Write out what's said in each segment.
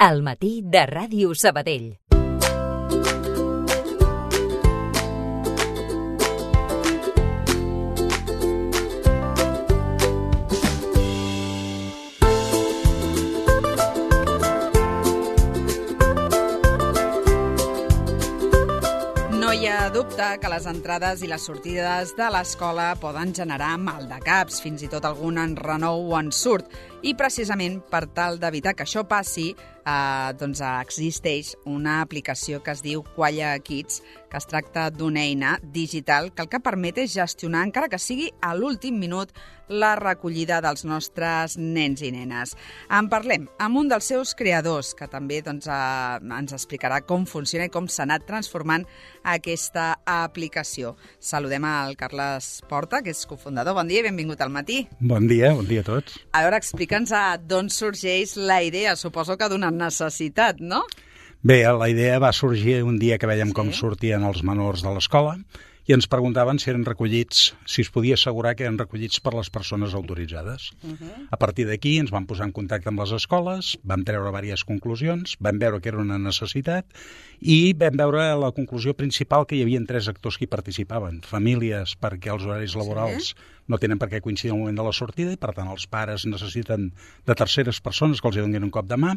Al matí de Ràdio Sabadell. No hi ha dubte que les entrades i les sortides de l'escola poden generar maldecaps, fins i tot algun enrenou o ensurt. I precisament per tal d'evitar que això passi, existeix una aplicació que es diu Qualla Kids, que es tracta d'una eina digital que el que permet és gestionar, encara que sigui a l'últim minut, la recollida dels nostres nens i nenes. En parlem amb un dels seus creadors, que també ens explicarà com funciona i com s'ha anat transformant aquesta aplicació. Saludem al Carles Porta, que és cofundador. Bon dia i benvingut al matí. Bon dia a tots. A veure, explica'ns d'on sorgeix la idea. Suposo que d'una necessitat, no? Bé, la idea va sorgir un dia que vèiem com sortien els menors de l'escola i ens preguntaven si eren recollits, si es podia assegurar que eren recollits per les persones autoritzades. A partir d'aquí ens vam posar en contacte amb les escoles, vam treure diverses conclusions, vam veure que era una necessitat i vam veure la conclusió principal que hi havia 3 actors que hi participaven. Famílies, perquè els horaris laborals no tenen per què coincidir al moment de la sortida i, per tant, els pares necessiten de terceres persones que els donin un cop de mà.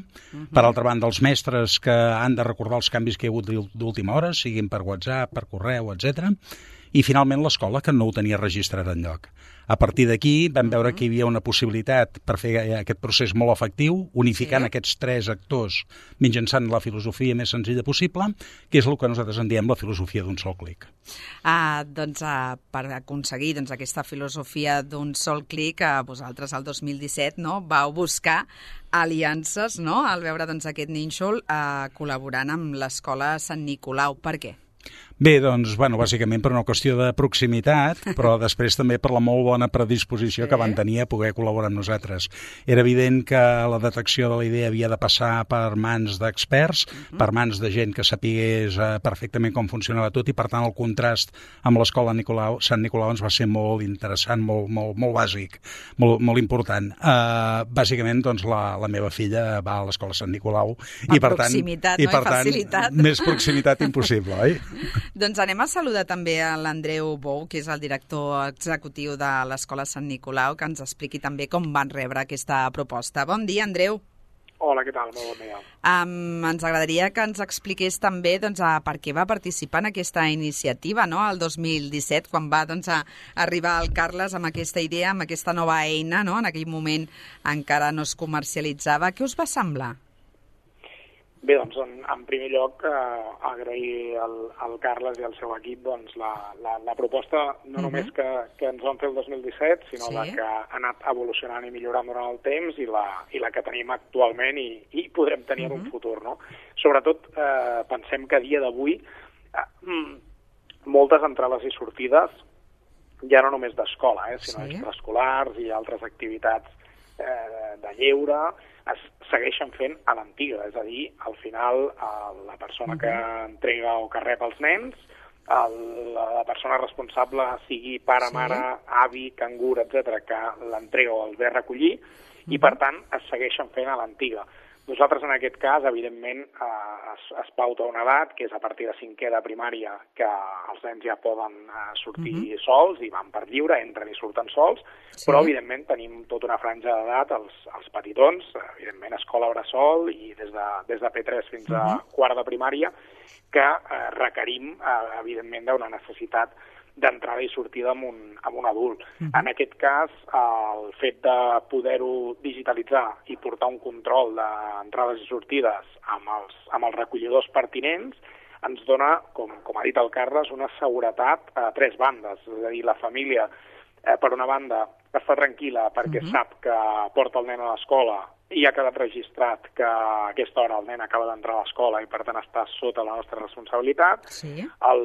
Per altra banda, els mestres que han de recordar els canvis que hi ha hagut d'última hora, siguin per WhatsApp, per correu, etc. I, finalment, l'escola, que no ho tenia registrat enlloc. A partir d'aquí vam veure que hi havia una possibilitat per fer aquest procés molt efectiu, unificant aquests 3 actors mitjançant la filosofia més senzilla possible, que és el que nosaltres en diem la filosofia d'un sol clic. Per aconseguir aquesta filosofia d'un sol clic, vosaltres el 2017 vau buscar aliances, al veure aquest nínxol col·laborant amb l'Escola Sant Nicolau. Per què? Bé, bàsicament per una qüestió de proximitat, però després també per la molt bona predisposició que van tenir a poder col·laborar amb nosaltres. Era evident que la detecció de la idea havia de passar per mans d'experts, per mans de gent que sapigués perfectament com funcionava tot i, per tant, el contrast amb l'Escola Sant Nicolau ens va ser molt interessant, molt bàsic, molt important. Bàsicament, la meva filla va a l'Escola Sant Nicolau i, per tant, facilitat. Més proximitat impossible, oi? Doncs anem a saludar també a l'Andreu Bou, que és el director executiu de l'Escola Sant Nicolau, que ens expliqui també com van rebre aquesta proposta. Bon dia, Andreu. Hola, què tal? Molt bon dia. Ens agradaria que ens expliqués també per què va participar en aquesta iniciativa, el 2017, quan va arribar el Carles amb aquesta idea, amb aquesta nova eina, en aquell moment encara no es comercialitzava. Què us va semblar? Bé, en primer lloc, agrair al Carles i al seu equip la proposta, no només que ens van fer el 2017, sinó la que ha anat evolucionant i millorant durant el temps i la que tenim actualment i podrem tenir en un futur, no? Sobretot, pensem que a dia d'avui moltes entrades i sortides, ja no només d'escola, sinó extraescolars i altres activitats de lleure, es segueixen fent a l'antiga, és a dir, al final la persona que entrega o que rep els nens, la persona responsable, sigui pare, mare, avi, cangur, etc., que l'entrega o el ve a recollir, i per tant es segueixen fent a l'antiga. Nosaltres, en aquest cas, evidentment, es pauta una edat, que és a partir de 5è de primària, que els nens ja poden sortir sols i van per lliure, entren i surten sols, però, evidentment, tenim tota una franja d'edat, els petitons, evidentment, escola bressol i des de P3 fins a 4 de primària, que requerim, evidentment, d'una necessitat d'entrada i sortida amb un adult. En aquest cas, el fet de poder-ho digitalitzar i portar un control d'entrades i sortides amb els recollidors pertinents ens dona, com ha dit el Carles, una seguretat a 3 bandes. És a dir, la família, per una banda, està tranquil·la perquè sap que porta el nen a l'escola i ha quedat registrat que a aquesta hora el nen acaba d'entrar a l'escola i, per tant, està sota la nostra responsabilitat.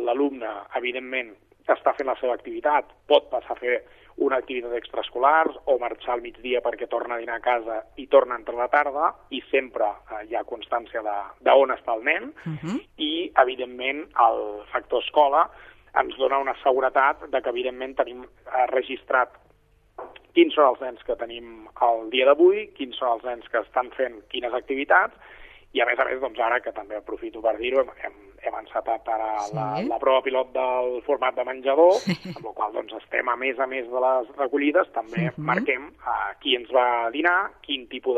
L'alumne, evidentment, està fent la seva activitat, pot passar a fer una activitat extraescolar o marxar al migdia perquè torna a dinar a casa i torna a entrar a la tarda i sempre hi ha constància d'on està el nen i, evidentment, el factor escola ens dona una seguretat de que, evidentment, tenim registrat quins són els nens que tenim el dia d'avui, quins són els nens que estan fent quines activitats I a més, doncs ara, que també aprofito per dir-ho, hem encetat ara la prova pilot del format de menjador, amb la qual doncs estem, a més de les recollides, també marquem qui ens va dinar, quin tipus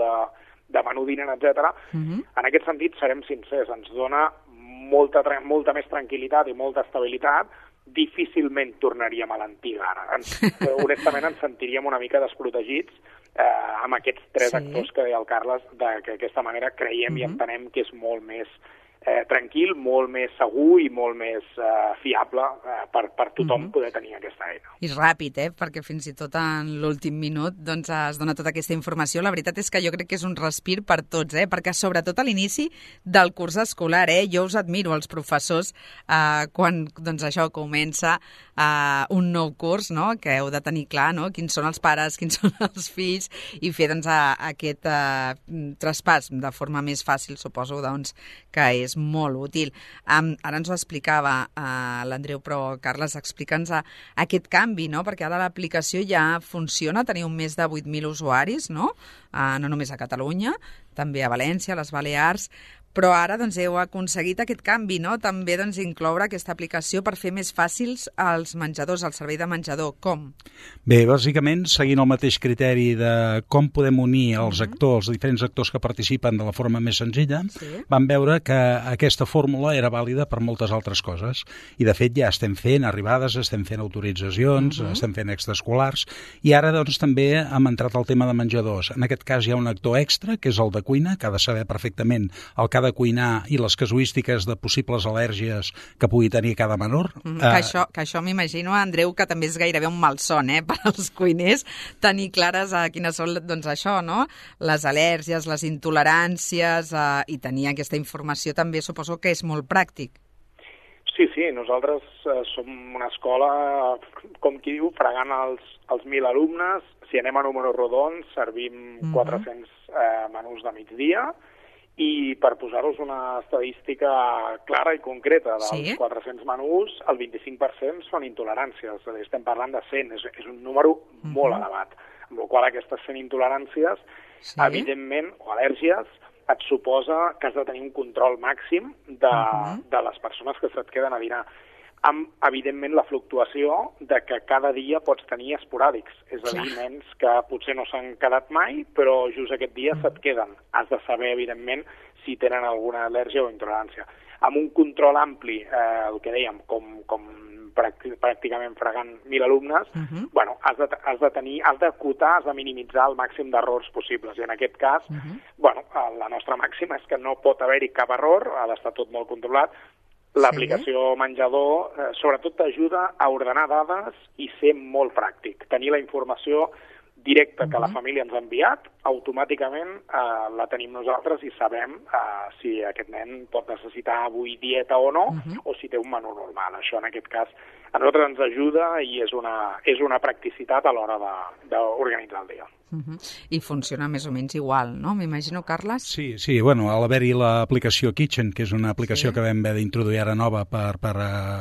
de menú dinen, etc. En aquest sentit, serem sincers, ens dona molta més tranquil·litat i molta estabilitat. Difícilment tornaríem a l'antiga ara. Honestament ens sentiríem una mica desprotegits amb aquests tres actors que deia el Carles, que d'aquesta manera creiem i entenem que és molt més tranquil, molt més segur i molt més fiable per tothom poder tenir aquesta eina. I ràpid, perquè fins i tot en l'últim minut doncs, es dona tota aquesta informació. La veritat és que jo crec que és un respir per tots, perquè sobretot a l'inici del curs escolar, jo us admiro, els professors, quan doncs, això comença un nou curs, no? Que heu de tenir clar, no? Quins són els pares, quins són els fills, i fer doncs, aquest traspàs de forma més fàcil, suposo doncs, que és molt útil. Ara ens ho explicava l'Andreu, però Carles, explica'ns aquest canvi, no? Perquè ara l'aplicació ja funciona, teniu més de 8.000 usuaris, no? No només a Catalunya, també a València, a les Balears, però ara doncs, heu aconseguit aquest canvi, no? També doncs, incloure aquesta aplicació per fer més fàcils els menjadors, el servei de menjador. Com? Bé, bàsicament, seguint el mateix criteri de com podem unir els actors, els diferents actors que participen de la forma més senzilla, vam veure que aquesta fórmula era vàlida per moltes altres coses. I, de fet, ja estem fent arribades, estem fent autoritzacions, estem fent extraescolars, i ara doncs, també hem entrat al tema de menjadors. En aquest cas hi ha un actor extra, que és el de cuina, que ha de saber perfectament el que ha de cuinar i les casuístiques de possibles al·lèrgies que pugui tenir cada menor. Que això m'imagino, Andreu, que també és gairebé un malson, per als cuiners, tenir clares quines són, doncs això, no? Les al·lèrgies, les intoleràncies, i tenir aquesta informació també suposo que és molt pràctic. Sí, nosaltres som una escola, com qui diu, fregant els 1.000 alumnes. Si anem a números rodons, servim 400 menús de migdia, i per posar-vos una estadística clara i concreta dels 400 menús, el 25% són intoleràncies. És a dir, estem parlant de 100, és un número molt elevat. Amb la qual aquestes 100 intoleràncies, evidentment, o al·lèrgies, et suposa que has de tenir un control màxim de les persones que se't queden a dinar. Amb, evidentment, la fluctuació de que cada dia pots tenir esporàdics. És a dir, nens que potser no s'han quedat mai, però just aquest dia se't queden. Has de saber, evidentment, si tenen alguna al·lèrgia o intolerància. Amb un control ampli, el que dèiem, com pràcticament fregant 1.000 alumnes, has d'acotar, has de minimitzar el màxim d'errors possibles. I en aquest cas, la nostra màxima és que no pot haver-hi cap error, ha d'estar tot molt controlat. L'aplicació menjador sobretot t'ajuda a ordenar dades i ser molt pràctic. Tenir la informació directa que la família ens ha enviat, automàticament la tenim nosaltres i sabem si aquest nen pot necessitar avui dieta o no, o si té un menú normal. Això en aquest cas a nosaltres ens ajuda i és una practicitat a l'hora d'organitzar el dia. I funciona més o menys igual, no? M'imagino, Carles? Sí, a l'haver-hi l'aplicació Kitchen, que és una aplicació que vam haver d'introduir ara nova per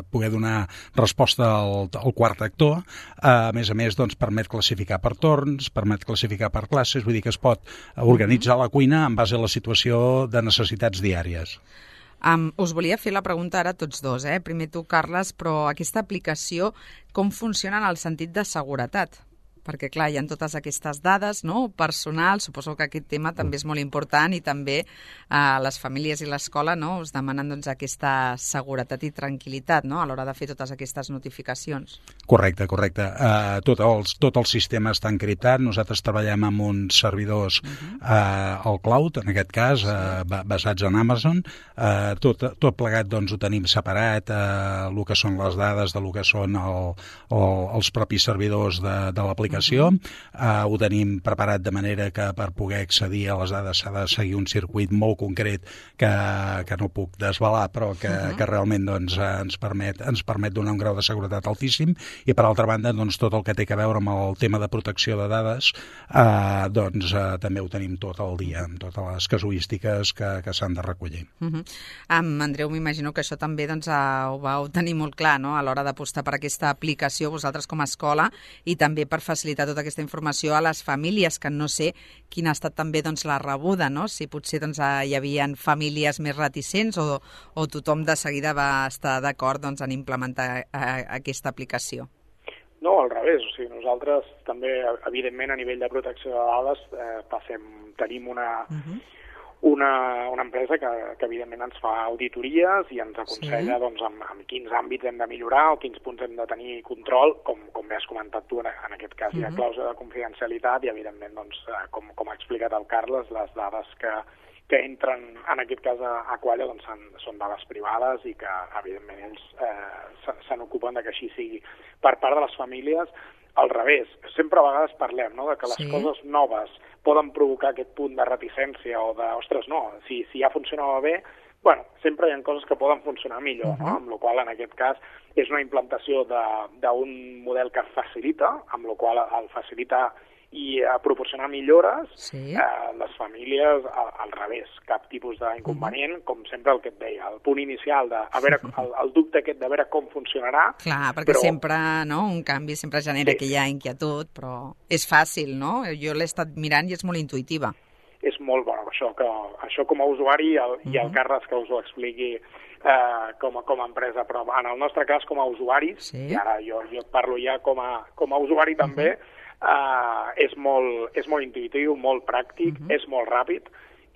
poder donar resposta al quart actor, a més, doncs, permet classificar per torns, permet classificar per classes, vull dir que es pot organitzar la cuina en base a la situació de necessitats diàries. Us volia fer la pregunta ara a tots dos, primer tu, Carles, però aquesta aplicació com funciona en el sentit de seguretat? Perquè, clar, hi ha totes aquestes dades, no?, personals, suposo que aquest tema també és molt important i també les famílies i l'escola, no?, us demanen doncs, aquesta seguretat i tranquil·litat, no?, a l'hora de fer totes aquestes notificacions. Correcte. Tot el sistema està encriptat. Nosaltres treballem amb uns servidors al cloud, en aquest cas, basats en Amazon. Tot plegat doncs, ho tenim separat, el que són les dades de lo que són els propis servidors de l'aplicació. Ho tenim preparat de manera que per poder accedir a les dades s'ha de seguir un circuit molt concret que no puc desvelar, però que realment doncs, ens permet donar un grau de seguretat altíssim, i per altra banda doncs, tot el que té a veure amb el tema de protecció de dades també ho tenim tot el dia, amb totes les casuístiques que s'han de recollir. Andreu, m'imagino que això també doncs, ho vau tenir molt clar, no?, a l'hora d'apostar per aquesta aplicació vosaltres com a escola i també per facilitar facilitar tota aquesta informació a les famílies, que no sé quina ha estat també doncs, la rebuda, no? Si potser doncs, hi havia famílies més reticents o tothom de seguida va estar d'acord doncs, en implementar aquesta aplicació. No, al revés. O sigui, nosaltres també, evidentment, a nivell de protecció de dades, tenim una empresa que evidentment ens fa auditories i ens aconsella doncs, en quins àmbits hem de millorar o quins punts hem de tenir control, com bé has comentat tu, en aquest cas hi ha clàusula de confidencialitat i evidentment, doncs, com ha explicat el Carles, les dades que entren en aquest cas a Qualla doncs, són dades privades i que evidentment ells se n'ocupen que així sigui. Per part de les famílies, al revés, sempre a vegades parlem, no?, de que les coses noves poden provocar aquest punt de reticència o de, ostres, no, si ja funcionava bé, bueno, sempre hi ha coses que poden funcionar millor, no? Amb la qual en aquest cas és una implantació d'un model que facilita, amb la qual el facilita i proporcionar millores, les famílies al revés, cap tipus d'inconvenient, com sempre el que et deia, el punt inicial, el dubte aquest de veure com funcionarà. Clar, perquè sempre, no?, un canvi sempre genera aquella inquietud, però és fàcil, no? Jo l'he estat mirant i és molt intuïtiva. És molt bo, això com a usuari, i el Carles que us ho expliqui com a empresa, però en el nostre cas com a usuaris, i ara jo parlo ja com a usuari també, és molt intuïtiu, molt pràctic, és molt ràpid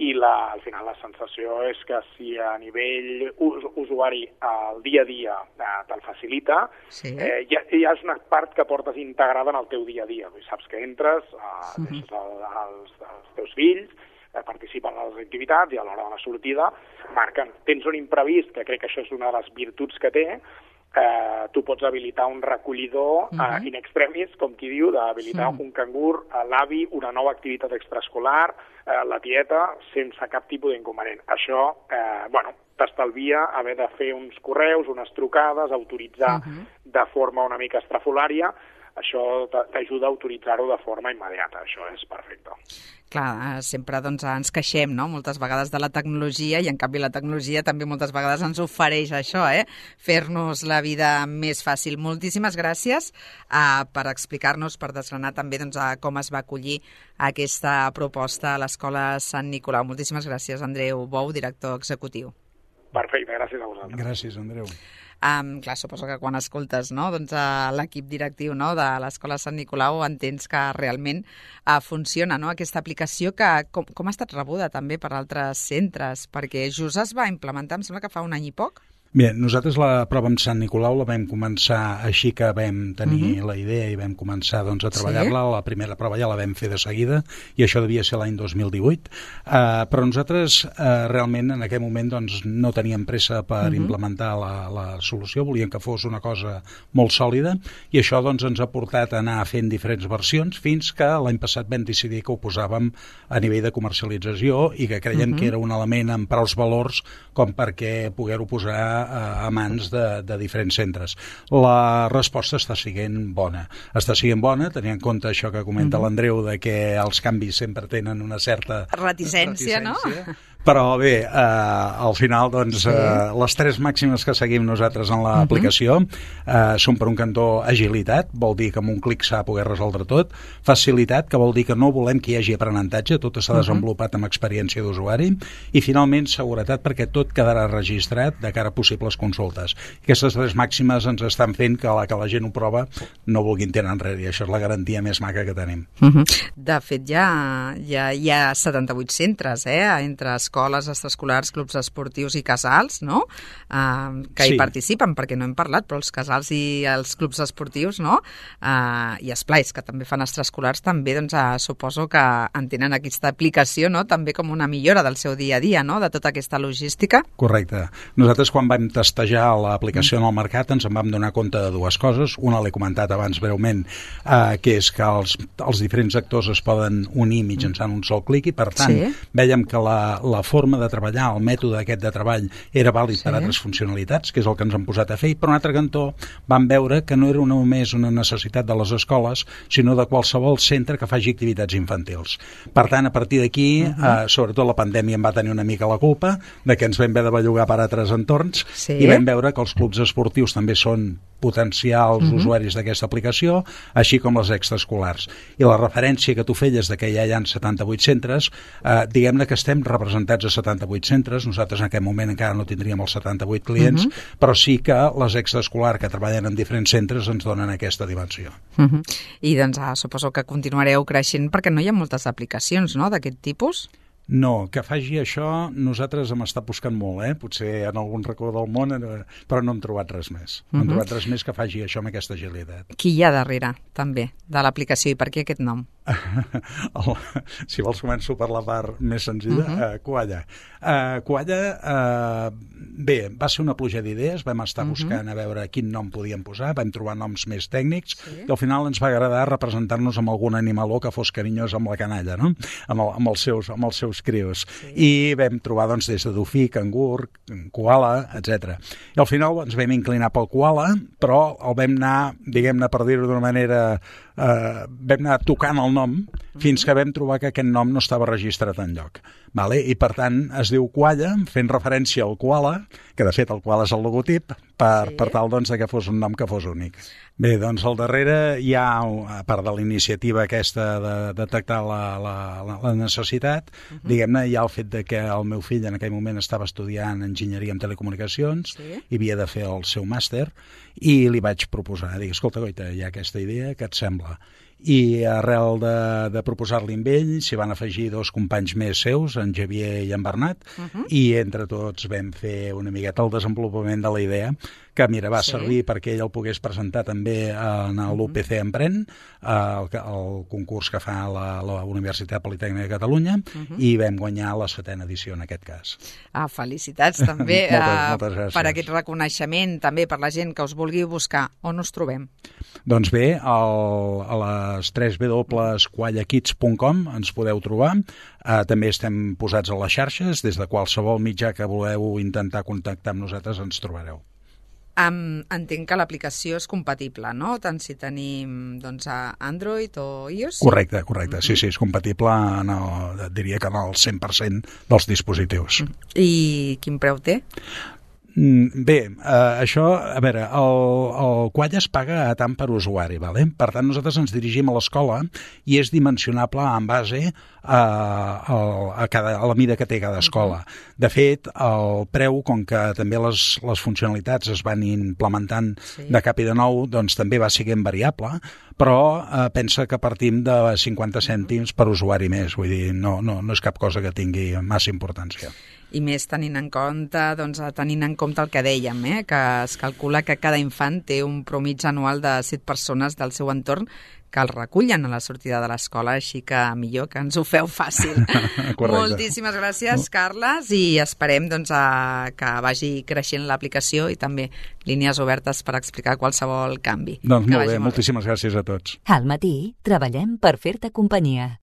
i al final la sensació és que si a nivell usuari el dia a dia te'l facilita, ja és una part que portes integrada en el teu dia a dia. Saps que entres, deixes els teus fills, participen en les activitats i a l'hora de la sortida marquen. Tens un imprevist, que crec que això és una de les virtuts que té, tu pots habilitar un recollidor in extremis, com qui diu, d'habilitar un cangur, l'avi, una nova activitat extraescolar, la tieta, sense cap tipus d'inconvenient. Això, t'estalvia haver de fer uns correus, unes trucades, autoritzar de forma una mica estrafolària. Això t'ajuda a autoritzar-ho de forma immediata. Això és perfecte. Clar, sempre doncs, ens queixem, no?, moltes vegades de la tecnologia i en canvi la tecnologia també moltes vegades ens ofereix això, fer-nos la vida més fàcil. Moltíssimes gràcies per explicar-nos, per desgranar també doncs, com es va acollir aquesta proposta a l'Escola Sant Nicolau. Moltíssimes gràcies, Andreu Bou, director executiu. Perfecte, gràcies a vosaltres. Gràcies, Andreu. Clar, suposo que quan escoltes l'equip directiu de l'Escola Sant Nicolau entens que realment funciona aquesta aplicació que com ha estat rebuda també per altres centres, perquè just es va implementar, em sembla que fa un any i poc. Bé, nosaltres la prova amb Sant Nicolau la vam començar així que vam tenir la idea i vam començar a treballar-la. La primera prova ja la vam fer de seguida i això devia ser l'any 2018. Però nosaltres realment en aquell moment no teníem pressa per implementar la solució, volíem que fos una cosa molt sòlida i això ens ha portat a anar fent diferents versions fins que l'any passat vam decidir que ho posàvem a nivell de comercialització i que creiem que era un element amb prou valors com perquè poder-ho posar a mans de diferents centres. La resposta està sent bona. Està sent bona, tenint en compte això que comenta l'Andreu, de que els canvis sempre tenen una certa reticència, no? Però bé, al final, les tres màximes que seguim nosaltres en l'aplicació són, per un cantó, agilitat, vol dir que amb un clic s'ha de poder resoldre tot, facilitat, que vol dir que no volem que hi hagi aprenentatge, tot s'ha desenvolupat amb experiència d'usuari, i finalment seguretat, perquè tot quedarà registrat de cara a possibles consultes. Aquestes tres màximes ens estan fent que la gent ho prova no vulguin tirar enrere, i això és la garantia més maca que tenim. De fet, ja hi ha 78 centres, entre escoles, extraescolars, clubs esportius i casals, no?, que hi participen, perquè no hem parlat, però els casals i els clubs esportius, no?, i esplais, que també fan extraescolars, també suposo que entenen aquesta aplicació, no?, també com una millora del seu dia a dia, no?, de tota aquesta logística. Correcte. Nosaltres, quan vam testejar l'aplicació en el mercat, ens en vam donar compte de dues coses. Una l'he comentat abans breument, que és que els diferents actors es poden unir mitjançant un sol clic i, per tant, vèiem que la forma de treballar, el mètode aquest de treball era vàlid per altres funcionalitats, que és el que ens han posat a fer, i per un altre cantó vam veure que no era només una necessitat de les escoles, sinó de qualsevol centre que faci activitats infantils. Per tant, a partir d'aquí, sobretot la pandèmia en va tenir una mica la culpa de que ens vam haver de bellugar per altres entorns i vam veure que els clubs esportius també són potencials usuaris d'aquesta aplicació, així com les extraescolars. I la referència que tu feies de que ja hi ha 78 centres, diguem-ne que estem representats a 78 centres, nosaltres en aquest moment encara no tindríem els 78 clients, però sí que les extraescolars que treballen en diferents centres ens donen aquesta dimensió. I doncs suposo que continuareu creixent perquè no hi ha moltes aplicacions, no?, d'aquest tipus? No, que faci això, nosaltres hem estat buscant molt, potser en algun racó del món, però no hem trobat res més. No hem trobat res més que faci això amb aquesta agilitat. Qui hi ha darrere, també, de l'aplicació i per què aquest nom? Si vols començo per la part més senzilla, Koala. Koala, bé, va ser una pluja d'idees, vam estar buscant a veure quin nom podíem posar, vam trobar noms més tècnics, i al final ens va agradar representar-nos amb algun animaló que fos carinyós amb la canalla, no? amb els seus crios. I vam trobar doncs, des de dofí, cangur, koala, etc. I al final ens vam inclinar pel koala, però el vam anar, diguem-ne, per dir-ho d'una manera, vam anar tocant el nom fins que vam trobar que aquest nom no estava registrat enlloc. Vale? I per tant es diu Koala, fent referència al koala, que de fet el koala és el logotip, per tal doncs, que fos un nom que fos únic. Bé, doncs al darrere hi ha, a part de la iniciativa aquesta de detectar la necessitat, diguem-ne, hi ha el fet de que el meu fill en aquell moment estava estudiant enginyeria en telecomunicacions i havia de fer el seu màster, i li vaig proposar, dic, escolta, Goita, hi ha aquesta idea, què et sembla? I arrel de proposar-li amb ell s'hi van afegir 2 companys més seus, en Xavier i en Bernat, i entre tots vam fer una miqueta el desenvolupament de la idea, que mira, va servir perquè ell el pogués presentar també en l'UPC Emprèn, el concurs que fa la Universitat Politècnica de Catalunya, i vam guanyar la 7ª edició en aquest cas. Felicitats també moltes gràcies. Per aquest reconeixement, també per la gent que us vulgui buscar. On us trobem? Doncs bé, a les www.koalakids.com ens podeu trobar. També estem posats a les xarxes, des de qualsevol mitjà que voleu intentar contactar amb nosaltres ens trobareu. Entenc que l'aplicació és compatible, no? Tant si tenim doncs, Android o iOS? Correcte. Sí, és compatible, diria que en el 100% dels dispositius. I quin preu té? Bé, això, a veure, el Koala es paga a tant per usuari, vale? Per tant, nosaltres ens dirigim a l'escola i és dimensionable en base a la mida que té cada escola. De fet, el preu, com que també les funcionalitats es van implementant de cap i de nou, doncs també va sent variable, però pensa que partim de 50 cèntims per usuari més, vull dir, no és cap cosa que tingui massa importància. I més tenint en compte el que dèiem, que es calcula que cada infant té un promig anual de 7 persones del seu entorn que el recullen a la sortida de l'escola, així que millor que ens ho feu fàcil. Moltíssimes gràcies, Carles, i esperem que vagi creixent l'aplicació i també línies obertes per explicar qualsevol canvi. Doncs molt bé, moltíssimes gràcies a tots. Al matí treballem per fer-te companyia.